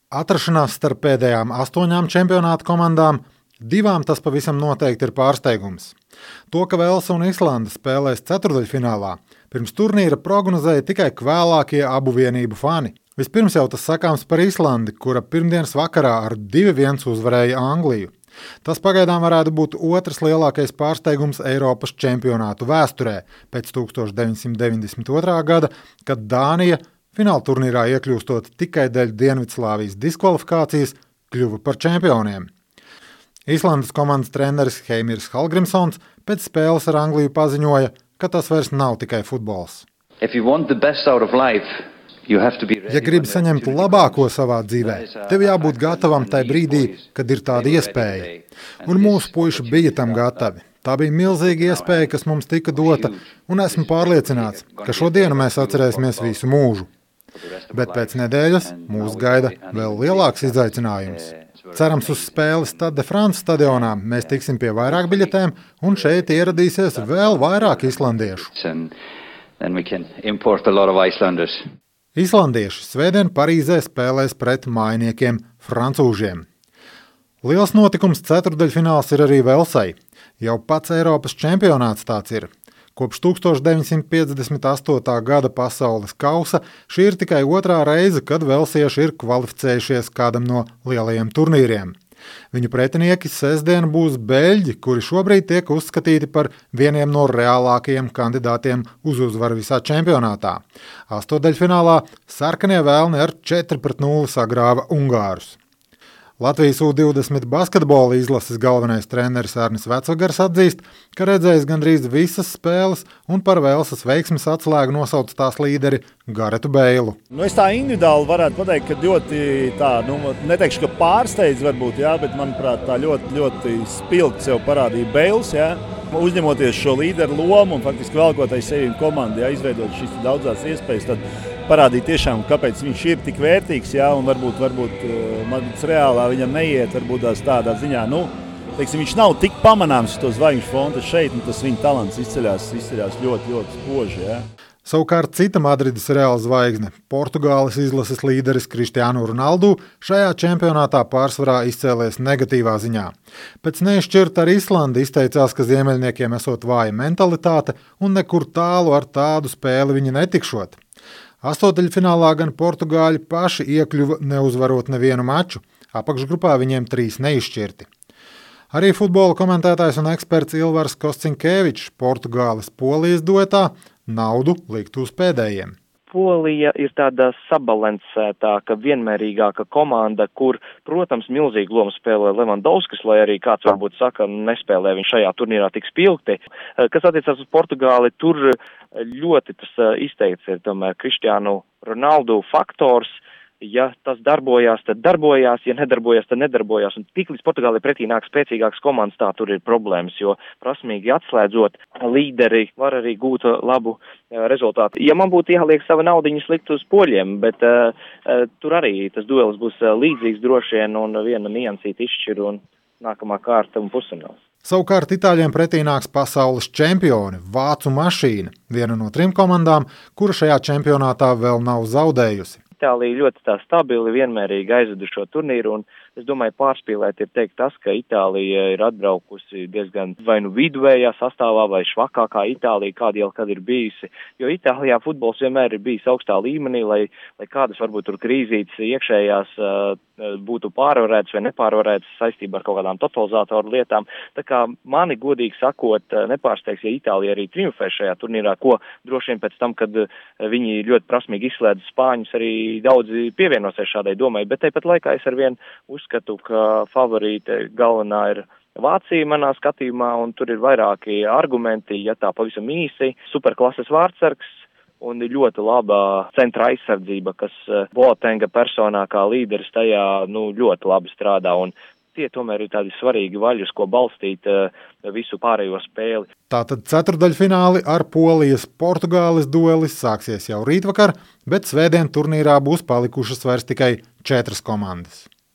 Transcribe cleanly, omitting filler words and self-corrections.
Atrašanās starp pēdējām 8 čempionāta komandām, 2 tas pavisam noteikti ir pārsteigums. To, ka Velsa un Islande spēlēs ceturdaļfinālā, pirms turnīra prognozēja tikai kvēlākie abu vienību fani. Vispirms jau tas sakāms par Islandi, kura pirmdienas vakarā ar 2-1 uzvarēja Angliju. Tas pagaidām varētu būt otrs lielākais pārsteigums Eiropas čempionātu vēsturē pēc 1992. Gada, kad Dānija fināla turnīrā iekļūstot tikai dēļ Dienvidslāvijas diskvalifikācijas kļuva par čempioniem. Islandes komandas treneris Heimirs Hallgrimsons pēc spēles ar Angliju paziņoja, ka tas vairs nav tikai futbols. Ja gribi saņemt labāko savā dzīvē, tev jābūt gatavam tai brīdī, kad ir tāda iespēja. Un mūsu puiši bija tam gatavi. Tā bija milzīga iespēja, kas mums tika dota, un esmu pārliecināts, ka šodienu mēs atcerēsimies visu mūžu. Bet pēc nedēļas mūs gaida vēl lielāks izaicinājums. Cerams, uz spēli Stade de France stadionā mēs tiksim pie vairāk biļetēm, un šeit ieradīsies vēl vairāk islandiešu. Islandieši svētdien Parīzē spēlēs pret mājiniekiem francūžiem. Liels notikums ceturdaļfināls ir arī Velsai. Jau pats Eiropas čempionāts tāds ir. Kopš 1958. gada pasaules kausa šī ir tikai 2. reize, kad velsieši ir kvalificējušies kādam no lielajiem turnīriem. Viņu pretinieki sestdien būs beļģi, kuri šobrīd tiek uzskatīti par vieniem no reālākajiem kandidātiem uz uzvaru visā čempionātā. Astodaļfinālā sarkanie vēlni ar 4-0 sagrāva ungārus. Latvijas U20 basketbola izlases galvenais treneris Arnis Vecvagars atzīst, ka redzējis gandrīz visas spēles un par Velsas veiksmes atslēgu nosauc tās līderi Garetu Beilu. Es tā individuāli varētu pateikt, ka ļoti tā, neteikšu, ka pārsteidz varbūt, bet manuprāt tā ļoti spilgt sev parādīja Beils, uzņemoties šo līderu lomu un faktiski velkotai sevi komandu, izveidot šīs daudzās iespējas, tad parādīt tiešām, kāpēc viņš ir tik vērtīgs, un varbūt reālā viņam neiet, varbūt tādā ziņā, viņš nav tik pamanāms uz to zvaigžņu fronta šeit, un tas viņa talants izceļās ļoti spoži, Savukārt cita Madrides Reāla zvaigzne, Portugāles izlases līderis Cristiano Ronaldo, šajā čempionātā pārsvarā izcēlies negatīvā ziņā. Pēc neizšķirta ar Islandi izteicās, ka ziemeļniekiem esot vāja mentalitāte un nekur tālu ar tādu spēli viņi netikšot. Astotaļfinālā gan portugāļi paši iekļuva neuzvarot nevienu maču, apakšgrupā viņiem 3 neizšķirti. Arī futbola komentētājs un eksperts Ilvars Koscinkevičs Portugāles Polijas duetā naudu likt uz pēdējiem. Polija ir tāda sabalansētāka, vienmērīgāka komanda, kur, protams, milzīgu lomu spēlē Levandovskis, lai arī kāds varbūt saka, nespēlē viņš šajā turnīrā tik spilgti. Kas attiecās uz Portugāli, tur ļoti tas izteikts ir tomēr Cristiano Ronaldo faktors. Ja tas darbojās, tad darbojās, ja nedarbojās, tad nedarbojās. Un tiklīdz Portugāli pretī nāk spēcīgāks komandas, tā tur ir problēmas, jo prasmīgi atslēdzot līderi var arī gūt labu rezultātu. Ja man būtu jāliek sava naudiņa slikt uz poļiem, bet tur arī tas duelis būs līdzīgs droši vien un viena niansīta izšķir un nākamā kārta un pusfināls. Savukārt Itāļiem pretī nāks pasaules čempioni, Vācu mašīna, viena no 3 komandām, kura šajā čempionātā vēl nav zaudējusi. Itālija ļoti tā stabili, vienmērīgi aizvedu šo turnīru, un es domāju, pārspīlēt ir teikt tas, ka Itālija ir atbraukusi diezgan vai nu viduvējā sastāvā vai švakākā Itālija, kāda jau kad ir bijusi, jo Itālijā futbols vienmēr ir bijis augstā līmenī, lai kādas varbūt tur krīzītes iekšējās būtu pārvarētas vai nepārvarētas saistībā ar kaut kādām totalizātoru lietām. Tā kā mani godīgi sakot, nepārsteigs, ja Itālija arī triumfē šajā turnīrā, ko droši vien pēc tam, kad viņi ļoti prasmīgi izslēdz spāņus, arī daudzi pievienosies šādai domai, bet tāpat laikā es arvien uzskatu, ka favorīte galvenā ir Vācija manā skatījumā, un tur ir vairāki argumenti, ja tā pavisam īsi, superklases vārdsargs un ļoti labā centra aizsardzība, kas Boatenga personā kā līderis tajā ļoti labi strādā, un tie tomēr ir tādi svarīgi vaļi, uz ko balstīt visu pārējo spēli. Tātad ceturdaļfināli ar Polijas Portugāles duelis sāksies jau rītvakar, bet svētdien turnīrā būs palikušas vairs tikai 4 komandas.